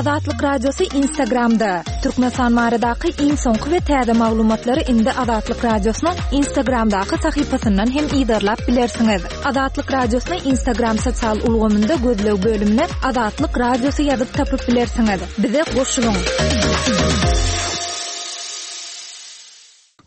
Azatlyk Radiosy Instagramda! Türkmenistan baradaky iň soňky we täze maglumatlary indi Azatlyk Radiosynyň Instagramdaky sahypasyndan hem yzarlap bilersiňiz. Azatlyk Radiosyny Instagram sosial ulgamynda gözleg bölümine Azatlyk Radiosy ýazyp tapyp bilersiňiz. Bize goşulyň!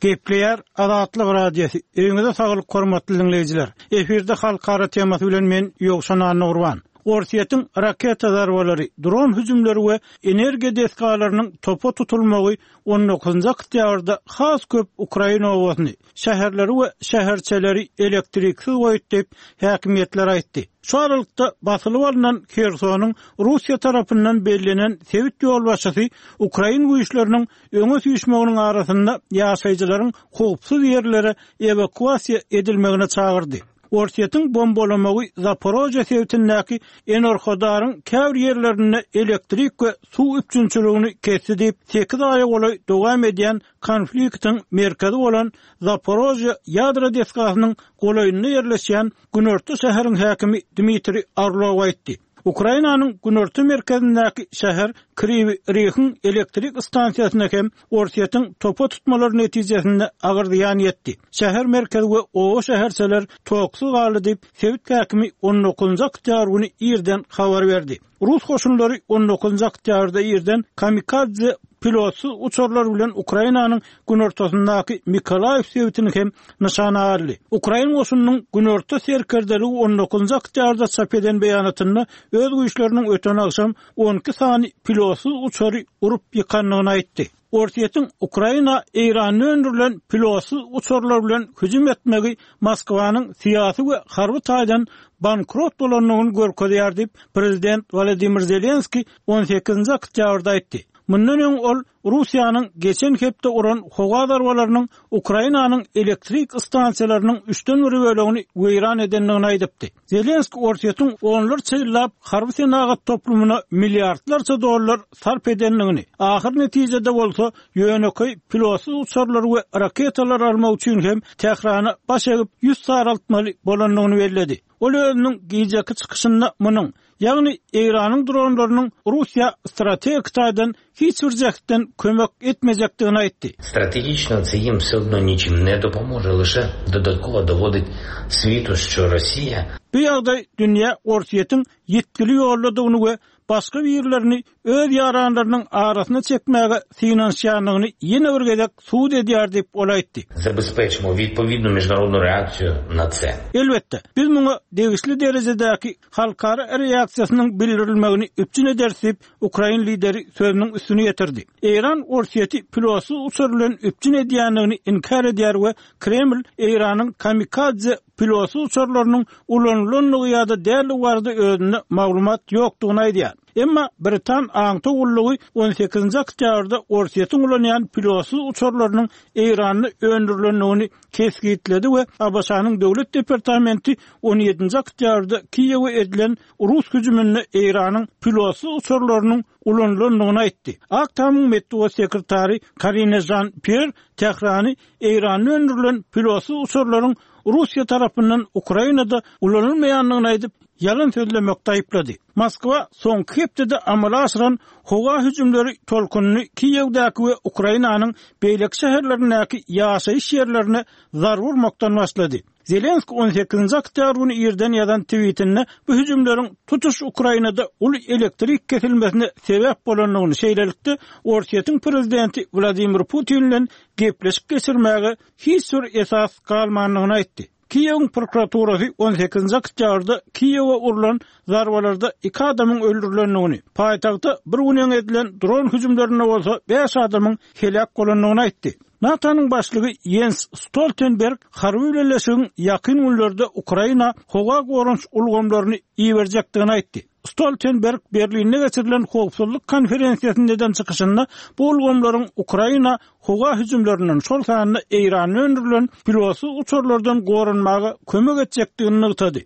Gepleýär Azatlyk Radiosy. Öýüňize saglyk hormatly diňleýjiler. Efirde halkara temasy bilen men Ýowşan Annagurban. Orsýetiň raketa zarbalary, dron hüjümleri we energiýa desgalarynyň topa tutulmagy on dokuzynjy oktýabrda has köp ukrain obasyny, şäherleri we şäherçeleri elektriksiz goýdy diýip, häkimiýetler aýtdy. Şu aralykda, basylyp alnan Hersonyň Russiýa tarapyndan bellenen sebit ýolbaşçysy ukrain güýçleriniň öňe süýşmeginiň arasynda ýaşaýjylaryň howpsuz ýerlere ewakuasiýa edilmegine çagyrdy. Orsýetiň bombalamagy Zaporožýe sebitindäki Enerhodaryň käbir ýerlerinde elektrik we suw üpjünçiligini kesdi diýip, sekiz aýa golaý dowam edýän konfliktiň merkezi bolan Zaporožýe ýadro desgasynyň golaýynda ýerleşýän günorta şäheriň häkimi Dmitriý Orlow aýtdy. Ukrainanyň günorta merkezindäki şäher Kriwi Rihiň elektrik stansiýasyna hem Orsýetiň topa tutmalary netijesinde agyr zyýan ýetdi. Şäher merkezi we oba-şäherçeler toksuz galdy diýip, sebit häkimi on dokuzynjy oktýabr güni irden habar berdi. Rus goşunlary on dokuzynjy oktýabrda irden kamikadze pilotsyz uçarlar bilen Ukrainanyň günortasyndaky Mykolaýiw sebitini hem nyşana aldy. Ukrain goşunynyň günorta serkerdeligi on dokuzynjy oktýabrda çap eden beýanatynda öz güýçleriniň öten agşam 12 sany pilotsyz uçary urup ýykandygyny aýtdy. Orsýetiň Ukraina Eýranda öndürilen pilotsyz uçarlar bilen hüjüm etmegi Moskwanyň syýasy we harby taýdan bankrot bolandygyny görkezýär diýip, prezident Wolodymyr Zelenskiý on sekizinji oktýabrda aýtdy. Mundan öň ol Russiýanyň geçen hepde uran howa zarbalarynyň Ukrainanyň elektrik stansiýalarynyň üçden bir bölegini weýran edendigini aýdypdy. Zelenskiý Orsýetiň onlarça ýyllap harby senagat toplumyna milliardlarça dollar sarp edendigini, ahyr netijede bolsa ýönekeý pilotsyz uçarlary we raketalary almak üçin hem Tährana baş egip ýüz saraltmaly bolandygyny belledi. Ol özüniň gijeki çykyşynda munuň, ýagny Eýranyň dronlarynyň Russiýa strategik taýdan hiç bir jähtden kömek etmejekdigini aýtdy. Strategiçno це їм все одно нічим не допоможе, лише додатково доводить світу, що Росія. Bu ýagdaý dünýä Orsýetiň ýitgili ýoldadygyny we başga birlerini öz ýaranlarynyň arasyna çekmäge synanyşýandygyny ýene bir gezek subut edýär diýip, ol aýtdy. Zabezpечимо відповідну міжнародну реакцію на це. Elbetde, biz muňa degişli derejedäki halkara reaksiýasynyň bildirilmegini üpjün ederis diýip, ukrain lideri sözüniň üstüni ýetirdi. Eýran Orsýeti pilotsyz uçar bilen üpjün edýändigini inkär edýär we Kreml Eýranyň kamikadze pilotsyz uçarlarynyň ulanylandygy ýa-da däldigi barada özünde maglumat ýokdugyny aýdýar. Emma britan aňtaw gullugy on sekizinji oktýabrda Orsýetiň ulanýan pilotsyz uçarlarynyň Eýranda öndürilendigini kesgitledi we ABŞ-nyň Döwlet departamenti on ýedinji oktýabrda Kiýewe edilen rus hüjüminde Eýranyň pilotsyz uçarlarynyň ulanylandygyny aýtdy. Ak Tamyň metbugat sekretary Karine Žan-Pýer Tährany Eýranda öndürilen pilotsyz uçarlaryň Russiýa tarapyndan Ukrainada ulanylmaýandygyny aýdyp, ýalan sözlemekde aýyplady. Moskwa soňky hepdede amala aşyran howa hüjümleri tolkunyny Kiýewdäki we Ukrainanyň beýleki şäherlerindäki ýaşaýyş ýerlerine zarba urmakdan başlady. Zelenskiý on sekizinji oktýabr güni irden ýazan twitinde bu hüjümleriň tutuş Ukrainada uly elektrik kesilmesine sebäp bolandygyny, şeýlelikde, Orsýetiň prezidenti Wladimir Putin bilen gepleşik geçirmäge hiç bir esas galmandygyny aýtdy. Kiýewiň prokuraturasy on sekizinji oktýabrda Kiýewe urlan zarbalarda iki adamyň öldürilendigini, paýtagta bir gün öň edilen dron hüjümlerinde bolsa bäş adamyň heläk bolandygyny aýtdy. NATO-nyň başlygy Ýens Stoltenberg harby bileleşigiň ýakyn günlerde Ukraina howa goranyş ulgamlaryny iberjekdigini aýtdy. Stoltenberg Berlinde geçirilen howpsuzlyk konferensiýasynda eden çykyşynda bu ulgamlaryň Ukraina howa hüjümlerinden, şol sanda Eýranda öndürilen pilotsyz uçarlardan goranmaga kömek etjekdigini nygtady.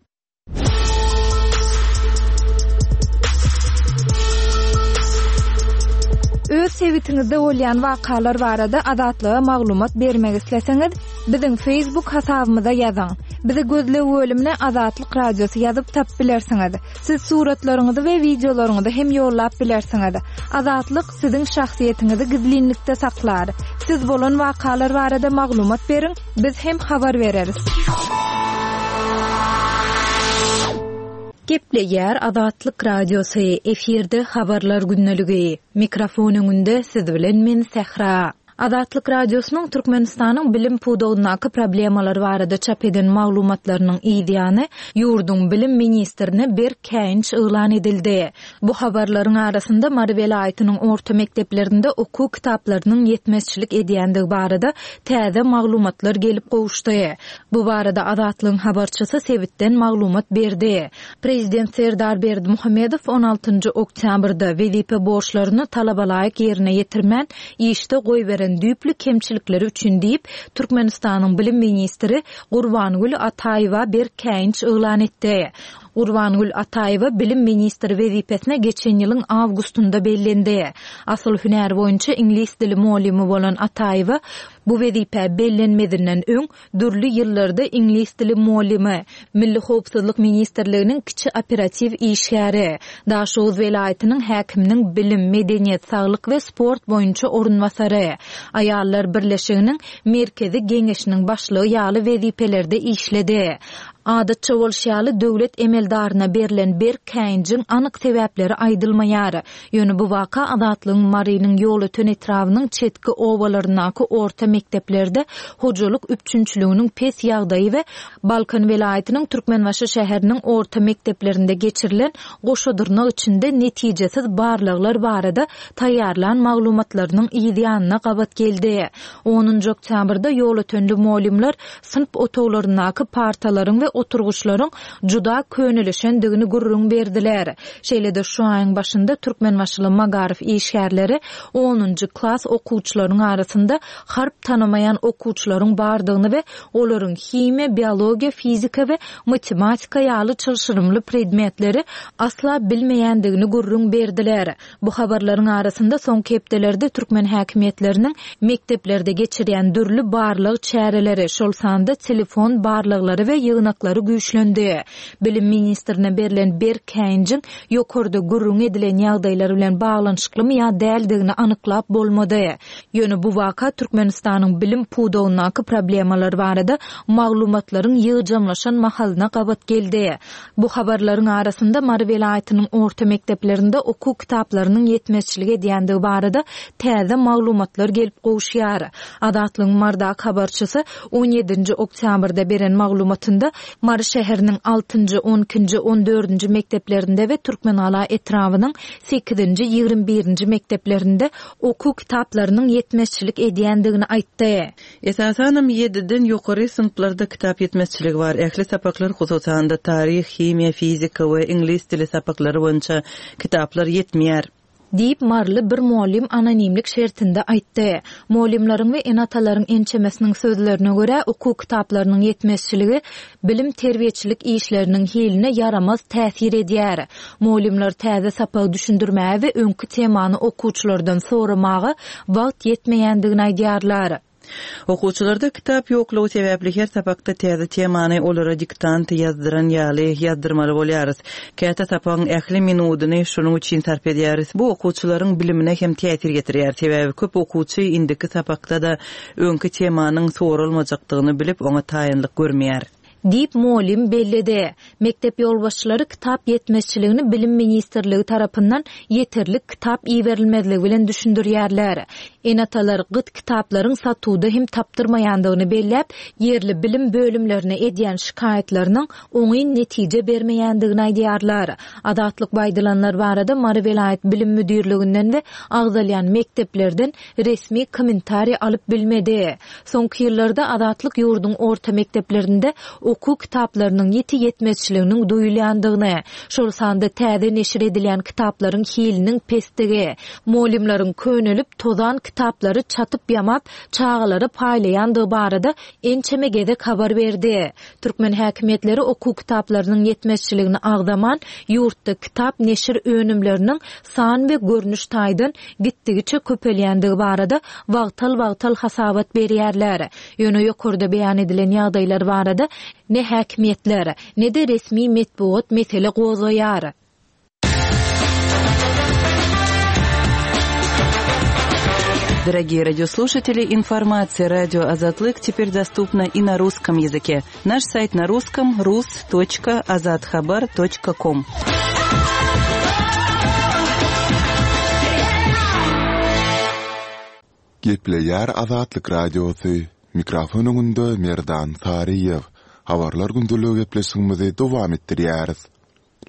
Öz sebitiňizde bolýan wakalar barada Azatlyga maglumat bermek isleseňiz, biziň Facebook hasabymyza ýazyň. Bizi gözleg bölümine Azatlyk Radiosy ýazyp tapyp bilersiňiz. Siz suratlaryňyzy we wideolaryňyzy hem ýollap bilersiňiz. Azatlyk siziň şahsyýetiňizi gizlinlikde saklar. Siz bolan wakalar barada maglumat beriň, biz hem habar bereris. Gepleýär Azatlyk Radiosy, efirde Habarlar gündeligi. Mikrofon öňünde siz bilen men Sähra. Azatlyk Radiosynyň Türkmenistanyň bilim pudagyndaky problemalar barada çap eden maglumatlarynyň yz ýany, ýurduň bilim ministrine berk käýinç yglan edildi. Bu habarlaryň arasynda Mary welaýatynyň orta mekdeplerinde okuw kitaplarynyň ýetmezçilik edýändigi barada täze maglumatlar gelip gowuşdy. Bu barada Azatlygyň habarçysy sebitden maglumat berdi. Prezident Serdar Berdimuhamedow on altynjy oktýabrda wezipe borçlaryny talabalaýyk ýerine ýetirmän, işde goýberen düýpli kemçilikleri üçin diýip, Türkmenistanyň bilim ministri Gurbangül Ataýewa berk käýinç yglan etdi. Gurbangül Ataýewa bilim ministri wezipesine geçen ýylyň awgustynda bellendi. Asyl hünäri boýunça iňlis dili mugallymy bolan Ataýewa bu wezipä bellenmezinden öň Dürli ýyllarda iňlis dili mugallymy, Milli howpsuzlyk ministrliginiň kiçi operatiw işgäri, Daşoguz welaýatynyň häkiminiň bilim, medeniýet, saglyk we sport boýunça orunbasary, Aýallar birleşiginiň Merkezi geňeşiniň başlygy ýaly wezipelerde işledi. Adatça bolşy ýaly, döwlet emeldaryna berlen berk käýinjiň anyk sebäpleri aýdylmaýar. Ýöne bu waka Azatlygyň Marynyň Ýolöten etrabynyň çetki obalaryndaky orta mekdeplerde hojalyk üpjünçiliginiň pes ýagdaýy we Balkan welaýatynyň Türkmenbaşy şäheriniň orta mekdeplerinde geçirilen goşa dyrnak içinde netijesiz barlaglar barada taýýarlan maglumatlarynyň yz ýanyna gabat geldi. Onunjy oktýabrda ýolötenli mugallymlar synp otaglaryndaky partalaryň we oturgyçlaryň juda könelişendigini gürrüň berdiler. Şeýle-de şu aýyň başynda türkmenbaşyly magaryf işgärleri onunjy klas okuwçylaryň arasynda harp tanamaýan okuwçylaryň bardygyny we olaryň himiýa, biologiýa, fizika we matematika ýaly çylşyrymly predmetleri asla bilmeýändigini gürrüň berdiler. Bu habarlaryň arasynda soňky hepdelerde türkmen häkimiýetleriniň mekdeplerde geçirýän dürli barlag çäreleri, şol sanda telefon barlaglary we ýygnaklary güýçlendi. Bilim ministrine berlen berk käýinjiň ýokarda gürrüňi edilen ýagdaýlar bilen baglanyşyklymy ýa däldigini anyklap bolmady. Ýöne bu waka Türkmenistanyň bilim pudagyndaky problemalar barada maglumatlaryň ýygjamlaşan mahalyna gabat geldi. Bu habarlaryň arasynda Mary welaýatynyň orta mekdeplerinde okuw kitaplarynyň ýetmezçilik edýändigi barada täze maglumatlar gelip gowuşýar. Azatlygyň Marydaky habarçysy on ýedinji oktýabrda beren maglumatynda Mary şäheriniň altynjy, on ikinji, on dördünji mekdeplerinde we Türkmengala etrabynyň sekizinji, 21 birinji mekdeplerinde okuw kitaplarynyň ýetmezçilik edýändigini aýtdy. Esasanam ýediden ýokary synplarda kitap ýetmezçiligi bar. Ähli sapaklar, hususan-da, taryh, himiýa, fizika we iňlis dili sapaklary boýunça kitaplar ýetmeýär. Diýip, maryly bir mugallym anonimlik şertinde aýtdy. Mugallymlaryň we ene-atalaryň ençemesiniň sözlerine görä, okuw kitaplarynyň ýetmezçiligi bilim-terbiýeçilik işleriniň hiline ýaramaz täsir edýär. Mugallymlar täze sapagy düşündirmäge we öňki temany okuwçylardan soramaga wagt ýetmeýändigini aýdýarlar. Okuwçylarda kitap ýoklugy sebäpli her sapakda täze temany olara diktant ýazdyran ýaly ýazdyrmaly bolýarys. Käte sapagyň ähli minudyny şonuň üçin sarp edýäris. Bu okuwçylaryň bilimine hem täsir ýetirýär. Sebäbi köp okuwçy indiki sapakda-da öňki temanyň soralmajakdygyny bilip, oňa taýynlyk görmeýär. Diýip, mugallym belledi. Mekdep ýolbaşçylary kitap ýetmezçiligini Bilim ministrligi tarapyndan ýeterlik kitap iberilmezligi bilen düşündirýärler. Ene-atalar gyt kitaplaryň satuwda hem tapdyrmaýandygyny belläp, ýerli bilim bölümlerine edýän şikaýatlarynyň oňyn netije bermeýändigini aýdýarlar. Azatlyk bu aýdylanlar barada Mary welaýat bilim müdirliginden we agzalýan mekdeplerden resmi kommentariý alyp bilmedi. Soňky ýyllarda Azatlyk ýurduň orta mekdeplerinde okuw kitaplarynyň ýiti ýetmezçiliginiň duýulýandygyny, şol sanda täze neşir edilýän kitaplaryň hiliniň pesdigi, mugallymlaryň könelip, tozan. kitaplary çatyp-ýamap, çagalara paýlaýandygy barada ençeme gezek habar berdi. Türkmen häkimiýetleri okuw kitaplarynyň ýetmezçiligini agzaman, ýurtda kitap neşir önümleriniň san we görnüş taýdan gitdigiçe köpelýändigi barada wagtal-wagtal hasabat berýärler. Ýöne ýokarda beýan edilen ýagdaýlar barada ne häkimiýetler, ne-de resmi metbugat mesele gozgaýar. Дорогие радиослушатели, информация радио Азатлык теперь доступна и на русском языке. Наш сайт на русском rus.azathabar.com. Gepleýär Azatlyk Radiosy, mikrofon öňünde Merdan Saryýew. Habarlar gündeligi gepleşigimizi dowam etdirýäris.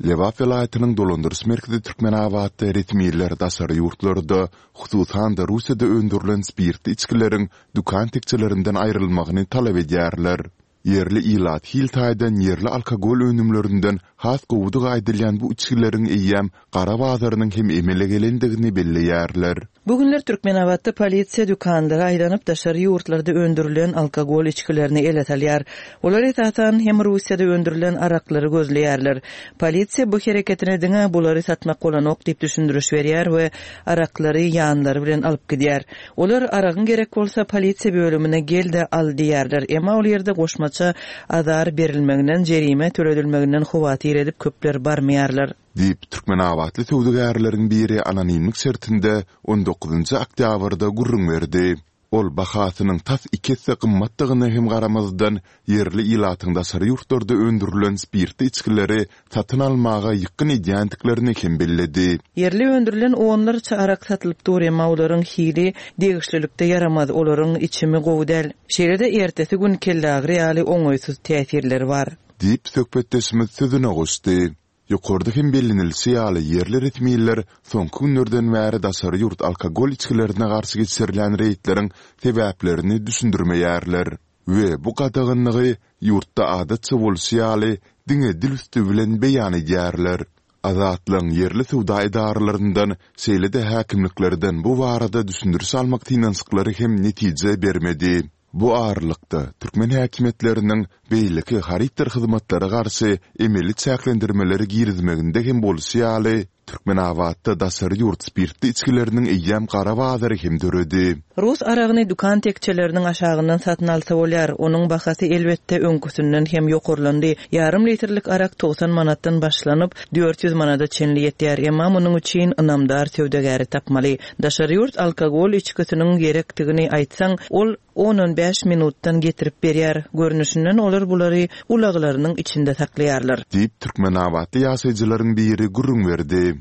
Lebap welaýatynyň dolandyryş merkezi Türkmenabatda resmiler daşary ýurtlarda, hususan-da Russiýada öndürilen spirtli içgileriň dükan tekjelerinden aýrylmagyny talap edýärler. Ýerli ilat hil taýdan ýerli alkogol önümlerinden has gowudygy aýdylýan bu içgileriň eýýäm gara bazarynyň hem emele gelendigini belleýärler. Bu günler Türkmenabatda polisiýa dükanlara aýlanyp, daşary ýurtlarda öndürilen alkogol içgilerini ele salýar. Olar esasan hem Russiýada öndürilen araklary gözleýärler. Polisiýa bu hereketine diňe bulary satmak bolanok diýip düşündiriş berýär we araklary ýanlary bilen alyp gidýär. Olar aragyň gerek bolsa polisiýa bölümine gel-de al diýýärler. Emma ol ýerde goşmaça azar berilmeginden, jerime töledilmeginden howatyr edip köpler barmaýarlar. Diýip, türkmenabatly söwdagärleriň biri anonimlik şertinde on dokuzynjy oktýabrda gürrüň berdi. Ol bahasynyň tas iki esse gymmatdygyna hem garamazdan, ýerli ilatyň daşary ýurtlarda öndürilen spirtli içgileri satyn almaga ýykgyn edýändiklerini hem belledi. Ýerli öndürilen onlarça arak satylyp dur, emma olaryň hili degişlilikde ýaramaz, olaryň içimi gowy däl. Şeýle-de ertesi gün kelleagyry ýaly oňaýsyz täsirleri bar. Diýip, söhbetdeşimiz sözüne goşdy. Ýokarda hem bellenilişi ýaly, ýerli resmiler soňky günlerden bäri daşary ýurt alkogol içgilerine garşy geçirilýän reýdleriň sebäplerini düşündirmeýärler we bu gadaganlygy ýurtda adatça bolşy ýaly diňe dil üsti bilen beýan edýärler. Azatlygyň ýerli söwda edaralaryndan, şeýle-de häkimliklerden bu barada düşündiriş almak synanyşyklary hem netije bermedi. Bu aralykda, türkmen häkimiýetleriniň beýleki harytdyr hyzmatlara garşy emeli çäklendirmeleri girizmeginde hem bolşy ýaly, Türkmenabatda daşary ýurt spirtli içgileriniň eýýäm gara bazary hem döredi. Rus aragyny dükan tekjeleriniň aşagyndan satyn alsa bolýar. Onuň bahasy, elbetde, öňküsinden hem ýokarlandy. Ýarym litrlik arak 90 manatdan başlanyp, 400 manada çenli ýetýär. Emma munuň üçin ynamdar söwdagäri tapmaly. Daşary ýurt alkogol içgisiniň gerekdigini aýtsaň, ol on-on bäş minutdan getirip berýär. Görnüşinden olar bulary ulaglarynyň içinde saklaýarlar. Diýip, türkmenabatly ýaşaýjylaryň biri gürrüň berdi.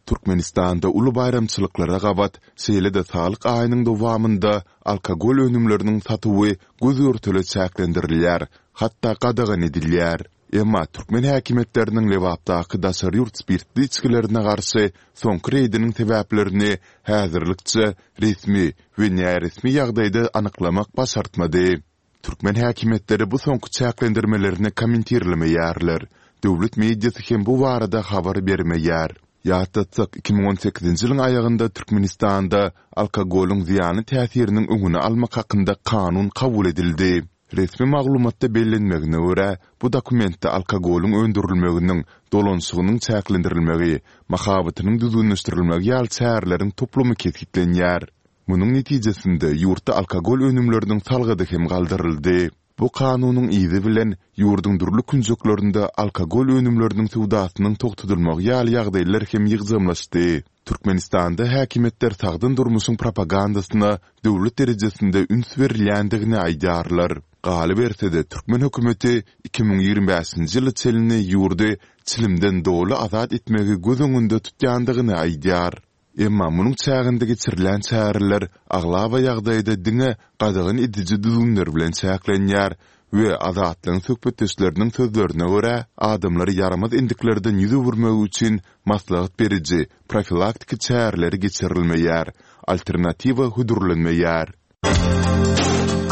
Türkmenistanda uly baýramçylyklara gabat, şeýle-de Saglyk aýynyň dowamynda alkogol önümleriniň satuwy göz-görtele çäklendirilýär, hatda gadagan edilýär. Emma türkmen häkimiýetleriniň Lebapdaky daşary ýurt spirtli içgilerine garşy soňky reýdiniň sebäplerini häzirlikçe resmi we näresmi ýagdaýda anyklamak başartmady. Türkmen häkimiýetleri bu soňky çäklendirmelerini kommentirlemeýärler, döwlet mediasy hem bu barada habar bermeýär. Ýatlatsak, 2018-nji ýylyň aýagynda Türkmenistanda alkogolyň zyýanly täsiriniň öňüni almak hakynda kanun kabul edildi. Resmi maglumatda bellenmegine görä, bu dokumentde alkogolyň öndürilmeginiň, dolanyşygynyň çäklendirilmegi, mahabatynyň düzgünleşdirilmegi ýaly çäreleriň toplumy kesgitlenýär. Munuň netijesinde, ýurtda alkogol önümleriniň salgydy hem galdyryldy. Bu kanunyň yzy bilen, ýurduň dürli künjeklerinde alkogol önümleriniň söwdasynyň togtadylmagy ýaly ýagdaýlar hem ýygjamlaşdy. Türkmenistanda häkimiýetler sagdyn durmuşyň propagandasyna döwlet derejesinde üns berilýändigini aýdýarlar. Galyberse-de, türkmen hökümeti 2025-nji ýyla çenli ýurdy çilimden doly azat etmegi göz öňünde tutýandygyny aýdýar. Emma munuň çäginde geçirilýän çäreler aglaba ýagdaýda diňe gadagan ediji düzgünler bilen çäklenýär we Azatlygyň söhbetdeşleriniň sözlerine görä, adamlary ýaramaz endiklerden ýüz öwürmegi üçin maslahat beriji, profilaktiki çäreleri geçirilmeýär, alternatiwa hödürlenmeýär.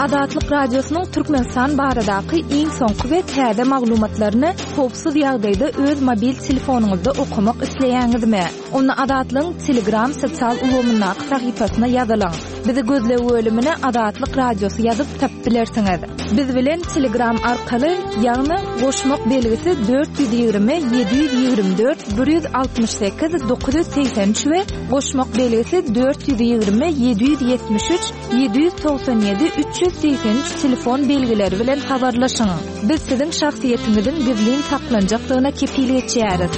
Azatlyk Radiosynyň Türkmenistan baradaky iň soňky we täze maglumatlaryny howpsuz ýagdaýda öz mobil telefonyňyzda okamak isleýäňizmi? Onda Azatlygyň Telegram sosial ulgamyndaky sahypasyna ýazylyň. Bizi gözleg bölümine Azatlyk Radiosy ýazyp tapyp bilersiňiz. Biz bilen Telegram arkaly, ýagny goşmak belgisi 420 724 168 983 we goşmak belgisi 420 773 797 383 telefon belgileri bilen habarlaşyň. Biz siziň şahsyýetiňiziň gizlin saklanjakdygyna kepil geçýäris.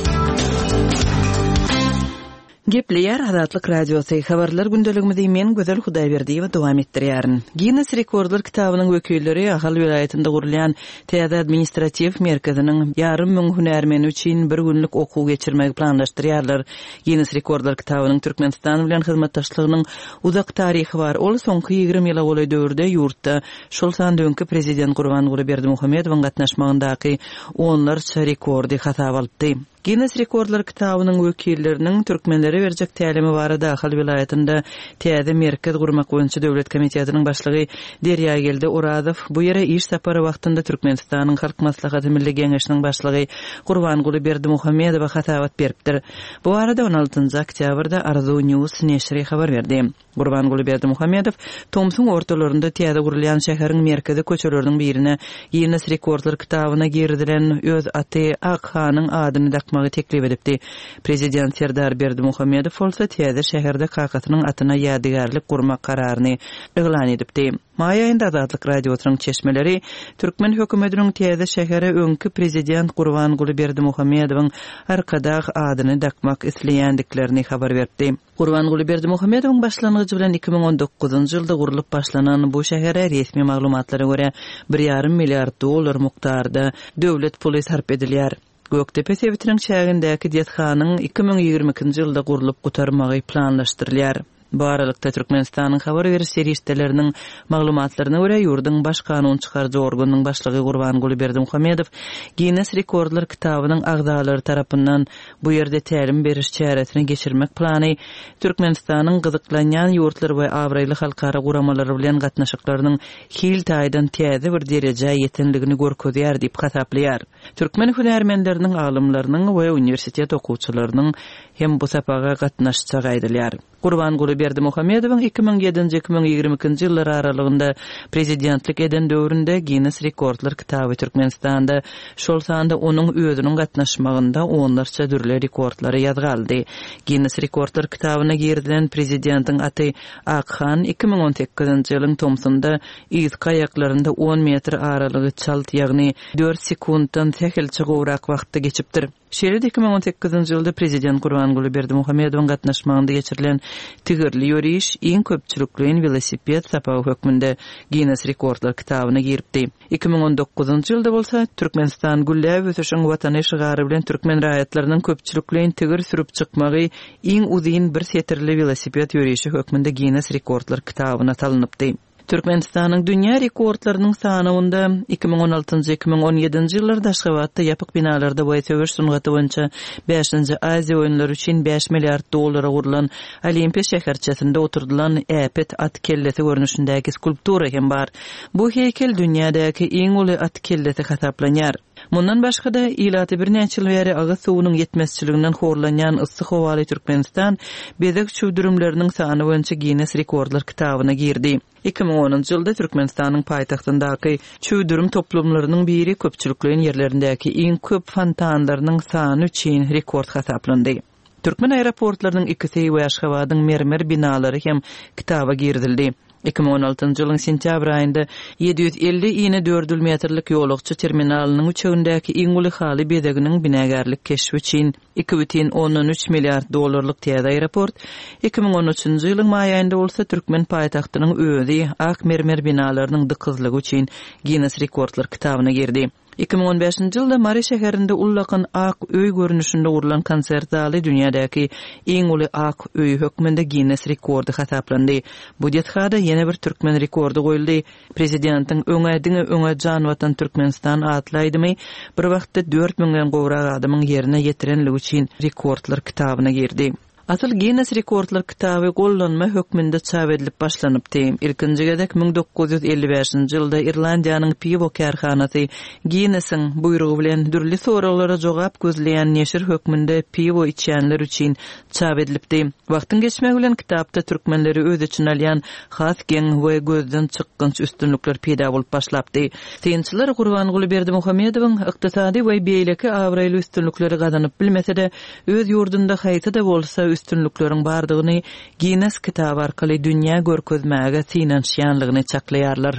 Gepleýär Azatlyk Radiosy, Habarlar gündeligimizi men Gözel Hudaýberdiýewa dowam etdirýärin. Ginnes rekordlar kitabynyň wekilleri Ahal welaýatynda gurulýan täze administratiw merkeziniň ýarym müň hünärmeni üçin bir günlük okuw geçirmegi planlaşdyrýarlar. Ginnes rekordlar kitabynyň Türkmenistan bilen hyzmatdaşlygynyň uzak taryhy bar. Ol soňky 20 ýyla golaý döwürde ýurtda, şol sanda öňki prezident Gurbanguly Berdimuhamedowyň gatnaşmagyndaky onlarça rekordy hasaba alypdy. Ginnes rekordlar kitabynyň wekilleriniň türkmenlere berjek tälimi barada Ahal welaýatynda täze merkez gurmak boýunça döwlet komitetiniň başlygy Derýageldi Orazow bu ýere iş sapary wagtynda Türkmenistanyň Halk Maslahaty Milli Geňeşiniň başlygy Gurbanguly Berdimuhamedowa hasabat beripdir. Bu barada on altynjy oktýabrda Arzuw News neşiri habar berdi. Gurbanguly Berdimuhamedow tomsuň ortalarynda täze gurulýan şäheriň merkezi köçeleriniň birine Ginnes rekordlar kitabyna girizilen öz aty Akhanyň adyny dakmagy teklip edipdi. Prezident Serdar Berdimuhamedow bolsa täze şäherde kakasynyň atyna ýadygärlik gurmak kararyny yglan edipdi. Maý aýynda Azatlyk Radiosynyň çeşmeleri türkmen hökümetiniň täze şähere öňki prezident Gurbanguly Berdimuhamedowyň Arkadag adyny dakmak isleýändiklerini habar beripdi. Gurbanguly Berdimuhamedowyň başlangyjy bilen 2019-njy ýylda gurlup başlanan bu şähere resmi maglumatlara görä, bir ýarym milliard dollar mukdarda döwlet puly sarp edilýär. Gökdepe sebitiniň çägindäki desganyň 2022-nji ýylda gurlup gutarmagy planlaşdyrylýar. Bu aralykda, Türkmenistanyň habar beriş serişdeleriniň maglumatlaryna görä, ýurduň baş kanun çykaryjy organynyň başlygy Gurbanguly Berdimuhamedow Ginnes rekordlar kitabynyň agzalary tarapyndan Bu ýerde tälim beriş çäresini geçirmek plany Türkmenistanyň gyzyklanýan ýurtlar we abraýly halkara guramalary bilen gatnaşyklarynyň hil taýdan täze bir derejä ýetenligini görkezýär diýip hasaplaýar. Türkmen hünärmenleriniň, alymlarynyň we uniwersitet okuwçylarynyň hem bu sapaga gatnaşjagy aýdylýar. Gurbanguly Berdimuhamedowyň 2007-nji, 2022-nji ýyllar aralygynda prezidentlik eden döwründe Ginnes rekordlar kitaby Türkmenistanda, şol sanda onuň özüniň gatnaşmagynda onlarça dürli rekordlary ýazga aldy. Ginnes rekordlar kitabyna girizilen prezidentiň aty Akhan 2018-nji ýylyň tomsunda yzky aýaklarynda on metr aralygy çalt, ýagny dört sekuntdan sähelçe gowrak wagtda geçipdir. Şeýle-de 2018-nji ýylda prezident Gurbanguly Berdimuhamedowyň gatnaşmagynda geçirilen tigirli ýöriş iň köpçülikleýin welosiped sapagy hökmünde Ginnes rekordlar kitabyna giripdi. 2019-njy ýylda bolsa, Türkmenistan gülläp ösüşiň Watany şygary bilen türkmen raýatlarynyň köpçülikleýin tigir sürüp çykmagy iň uzyn bir setirli welosiped ýörişi hökmünde Ginnes rekordlar kitabyna salynypdy. Türkmenistanyň dünýä rekordlarynyň sanawynda 2016-njy, 2017-nji ýyllarda Aşgabatda ýapyk binalarda we söweş sungaty boýunça bäşinji Aziýa oýunlary üçin bäş milliard dollara gurlan Olimpiýa şäherçesinde oturdylan äpet at kellesi görnüşindäki skulptura hem bar. Bu heýkel dünýädäki iň uly at kellesi hasaplanýar. Mundan başga-da, ilaty birnäçe ýyl bäri agyz suwunyň ýetmezçiliginden horlanýan yssy howaly Türkmenistan bezeg çüwdürimleriniň sany boýunça Ginnes rekordlar kitabyna girdi. 2010-njy ýylda Türkmenistanyň paýtagtyndaky çüwdürim toplumlarynyň biri köpçülikleýin ýerlerindäki iň köp fontanlarynyň sany üçin rekord hasaplandy. Türkmen aeroportlarynyň ikisi we Aşgabadyň mermer binalary hem kitaba girizildi. 2016-njy ýylyň sentýabr aýynda 750 inedördül metrlik ýolagçy terminalynyň üçegindäki iň uly haly bezeginiň binagärlik keşbi üçin 2,3 milliard dollarlyk täze aeroport, 2013-nji ýylyň maý aýynda bolsa türkmen paýtagtynyň özi ak mermer binalarynyň dykyzlygy üçin Ginnes rekordlar kitabyna girdi. 2015-nji ýylda Mary şäherinde ullakan ak öý görnüşinde gurlan konsert zaly dünýädäki iň uly ak öý hökmünde Ginnes rekordy hasaplandy. Bu desgada ýene bir türkmen rekordy goýuldy. Prezidentiň Öňe, diňe öňe jan Watan Türkmenistan atly aýdymy bir wagtda dört müňden gowrak adamyň ýerine ýetirenligi üçin rekordlar kitabyna girdi. Asyl Ginnes rekordlar kitaby gollanma hökmünde çap edilip başlanypdy. Ilkinji gezek 1955-nji ýylda Irlandiýanyň piwo kärhanasy Ginnesiň buýrugy bilen dürli soraglara jogap gözleýän neşir hökmünde piwo içýänler üçin çap edilipdi. Wagtyň geçmegi bilen kitapda türkmenleri öz içine alýan has geň we gözden çykgynç üstünlikler peýda bolup başlapdy. Synçylar Gurbanguly Berdimuhamedowyň ykdysady we beýleki abraýly üstünlikleri gazanyp bilmese-de, öz ýurdunda haýsy-da bolsa üstünlikleriň bardygyny Ginnes kitaby arkaly dünýä görkezmäge synanyşýanlygyny çaklaýarlar.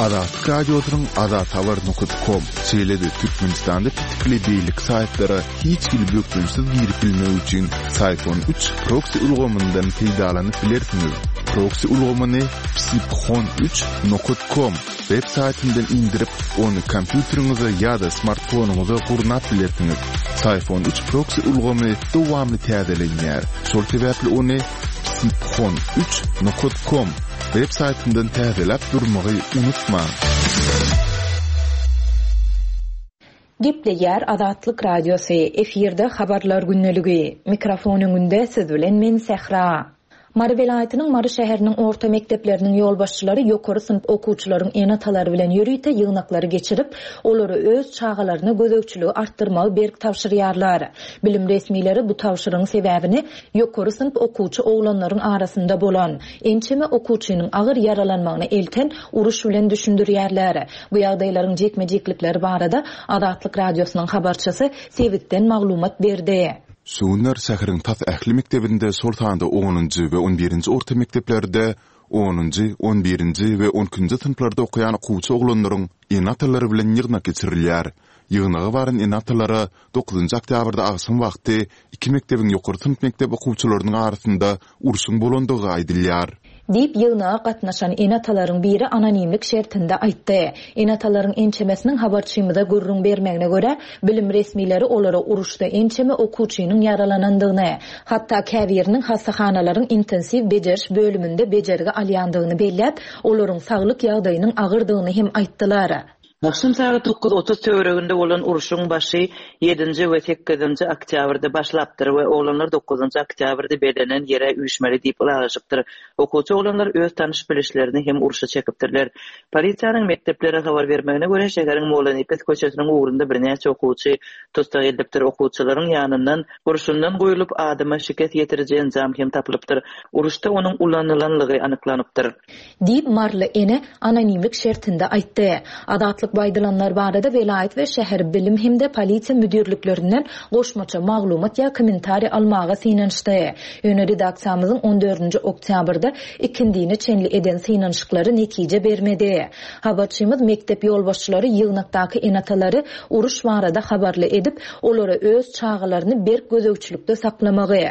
Azatlyk Radiosynyň Azathabar nokat kom, şeýle-de Türkmenistanda petikli beýleki saýtlara hiç hili bökdençsiz girip bilmek üçin Syfon üç proksi ulgamyndan peýdalanyp bilersiňiz. Proksi ulgamyny psiphon üç nokat kom web saýtyndan indirip, ony kompýuteriňize ýa-da smartfonyňyza gurnap bilersiňiz. Syfon üç proksi ulgamy dowamly täzelenýär, şol sebäpli ony psiphon üç nokat kom web saýtyndan täzeläp durmagy unutmaň. Gepleýär Azatlyk Radiosy, efirde Habarlar gündeligi. Mikrofon öňünde siz bilen men Sähra. Mary welaýatynyň Mary şäheriniň orta mekdepleriniň ýolbaşçylary ýokary synp okuwçylaryň ene-atalary bilen ýörite ýygnaklary geçirip, olara öz çagalaryna gözegçiligi artdyrmagy berk tabşyrýarlar. Bilim resmileri bu tabşyrygyň sebäbini ýokary synp okuwçy oglanlaryň arasynda bolan, ençeme okuwçynyň agyr ýaralanmagyna elten uruş bilen düşündirýärler. Bu ýagdaýlaryň jikme-jiklikleri barada Azatlyk Radiosynyň habarçysy sebitden maglumat berdi. Şu günler şäheriň tas ähli mekdebinde, şol sanda onunjy we on birinji orta mekdeplerde onunjy, on birinji we on ikinji synplarda okaýan okuwçy oglanlaryň ene-atalary bilen ýygnak geçirilýär. Ýygnaga baran ene-atalara dokuzynjy oktýabrda agşam wagty iki mekdebiň ýokary synp mekdep okuwçylarynyň arasynda urşuň bolandygy aýdylýar. Diýip, ýygnaga gatnaşan ene-atalaryň biri anonimlik şertinde aýtdy. Ene-atalaryň ençemesiniň habarçymyza gürrüň bermegine görä, bilim resmileri olara uruşda ençeme okuwçynyň ýaralanandygyny, hatda käbiriniň hassahanalaryň intensiw bejeriş bölüminde bejergi alýandygyny belläp, olaryň saglyk ýagdaýynyň agyrdygyny hem aýtdylar. Agşam sagat 9:30 töwereginde bolan urşuň başy ýedinji we sekizinji oktýabrda başlapdyr we oglanlar dokuzynjy oktýabrda bellenen ýere üýşmeli diýip ylalaşypdyr. Okuwçy oglanlar öz tanyş-bilişlerini hem urşa çekipdirler. Polisiýanyň mekdeplere habar bermegine görä, şäheriň Mollanepes köçesiniň ugrunda birnäçe okuwçy tussag edilipdir. Okuwçylaryň ýanyndan gurşundan guýlup adama şikes ýetiriji enjam hem tapylypdyr. Uruşda onuň ulanylanlygy anyklanypdyr. Diýip, maryly ene anonimlik şertinde aýtdy. Azatlyk bu aýdylanlar barada welaýat we şäher bilim hem-de polisiýa müdirliklerinden goşmaça maglumat ýa kommentariý almaga synanyşdy. Ýöne redaksiýamyzyň on dördünji oktýabrda ikindine çenli eden synanyşyklary netije bermedi. Habarçymyz mekdep ýolbaşçylary ýygnakdaky ene-atalary uruş barada habarly edip, olara öz çagalaryny berk gözegçilikde saklamagy,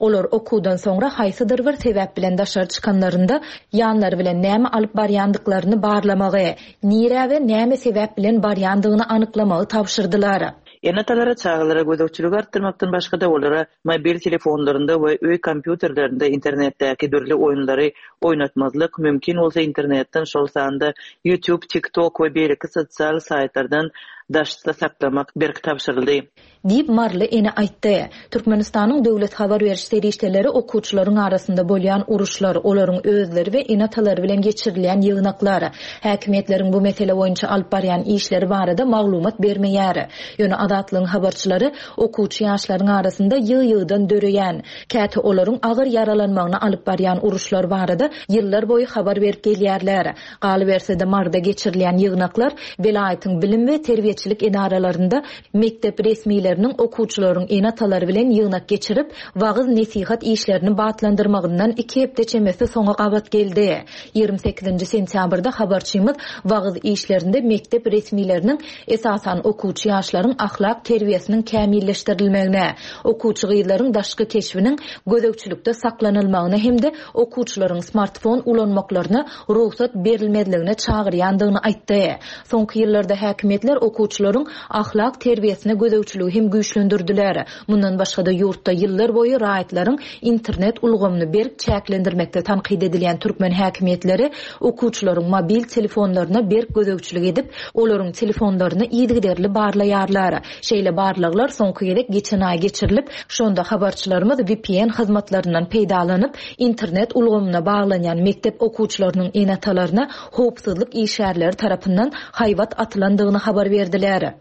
Olar okuwdan soňra haýsydyr bir sebäp bilen daşary çykanlarynda, ýanlary bilen näme alyp barýandyklaryny barlamagy, nirä we näme sebäp bilen barýandygyny anyklamagy tabşyrdylar. Ene-atalara çagalara gözegçiligi artdyrmakdan başga-da, olara mobil telefonlarynda we öý kompýuterlerinde internetdäki dürli oýunlary oýnatmazlyk, mümkin bolsa internetden, şol sanda YouTube, TikTok we beýleki sosial saýtlardan daşda saklamak berk tabşyryldy. Diýip, maryly ene aýtdy. Türkmenistanyň döwlet habar beriş serişdeleri okuwçylaryň arasynda bolýan uruşlar, olaryň özleri we ene-atalary bilen geçirilýän ýygnaklar, häkimiýetleriň bu mesele boýunça alyp barýan işleri barada maglumat bermeýär. Ýöne Azatlygyň habarçylary okuwçy ýaşlaryň arasynda ýygy-ýygydan döreýän, käte olaryň agyr ýaralanmagyna alyp barýan uruşlar barada ýyllar boýy habar berip gelýärler. Galyberse-de, Maryda geçirilýän ýygnaklar welaýatyň bilim we terbiýeçilik edaralarynda Mekdep resmileriniň okuwçylaryň ene-atalary bilen ýygnak geçirip, wagyz-nesihat işlerini batlandyrmagyndan iki hepde çemesi soňa gabat geldi. 28-nji sentýabrda habarçymyz wagyz işlerinde mekdep resmileriniň esasan okuwçy ýaşlaryň ahlak terbiýesiniň kämilleşdirilmegine, okuwçy gyzlaryň daşky keşbiniň gözegçilikde saklanylmagyna hem-de okuwçylaryň smartfon ulanmaklaryna rugsat berilmezligine çagyrýandygyny aýtdy. Soňky ýyllarda häkimiýetler okuwçy. okuwçylaryň ahlak terbiýesine gözegçiligi hem güýçlendirdiler. Mundan başga-da, ýurtda ýyllar boýy raýatlaryň internet ulgamyny berk çäklendirmekde tankyt edilýän türkmen häkimiýetleri okuwçylaryň mobil telefonlaryna berk gözegçilik edip, olaryň telefonlaryny yzygiderli barlaýarlar. Şeýle barlaglar soňky gezek geçen aý geçirilip, şonda habarçylarymyz vpn hyzmatlaryndan peýdalanyp, internet ulgamyna baglanýan mekdep okuwçylarynyň ene-atalaryna howpsuzlyk işgärleri tarapyndan haýbat atylandygyny habar berdiler.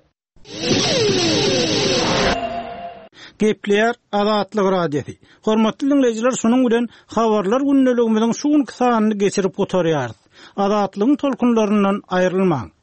Gepleýär Azatlyk Radiosy. Hormatly diňleýjiler, şunuň bilen Habarlar gündeligimiziň şu günki sanyny geçirip gutarýarys. Azatlygyň tolkunlaryndan aýrylmaň!